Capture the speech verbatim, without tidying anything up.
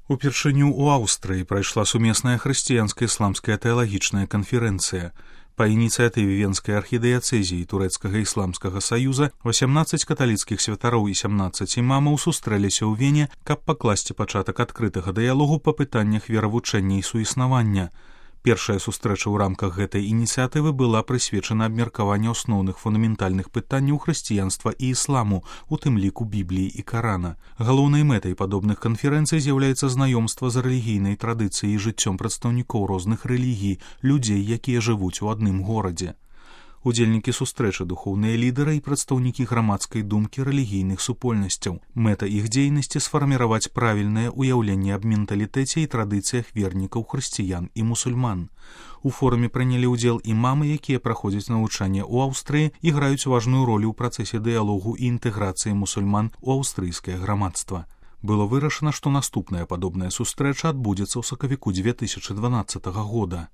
Упершыню ў Аўстрыі прайшла сумесная хрысціянска-ісламская тэалагічная канферэнцыя. Па ініцыятыве Венскай архідыяцэзіі турэцкага ісламскага саюза васямнаццаць каталіцкіх святароў і сямнаццаць імамаў сустрэліся ў Вене, каб пакласці пачатак адкрытага дыялогу па пытаннях веравучэння і суіснавання. Першая сустрэча ў рамках гэтай ініцыятывы была прысвечана абмеркаванню асноўных фундаментальных пытанняў хрысціянства і ісламу, у тым ліку Бібліі і Карана. Галоўнай мэтай падобных канферэнцый з'яўляецца знаёмства з рэлігійнай традыцыяй і жыццём прадстаўнікоў розных рэлігій, людзей, якія жывуць у адным горадзе. Удзельнікі сустрэчы духоўныя лідары і прадстаўнікі грамадскай думкі рэлігійных супольнасцяў. Мэта іх дзейнасці сфарміраваць правільнае ўяўленне аб менталітэце і традыцыях вернікаў хрысціян і мусульман. У форуме прынялі ўдзел імамы, якія праходзяць навучанне ў Аўстрыі і граюць важную ролю ў працэсе дыялогу і інтэграцыі мусульман у аўстрыйскае грамадства. Было вырашана, што наступная падобная сустрэча адбудзецца ў сакавіку дзве тысячы дванаццатага года.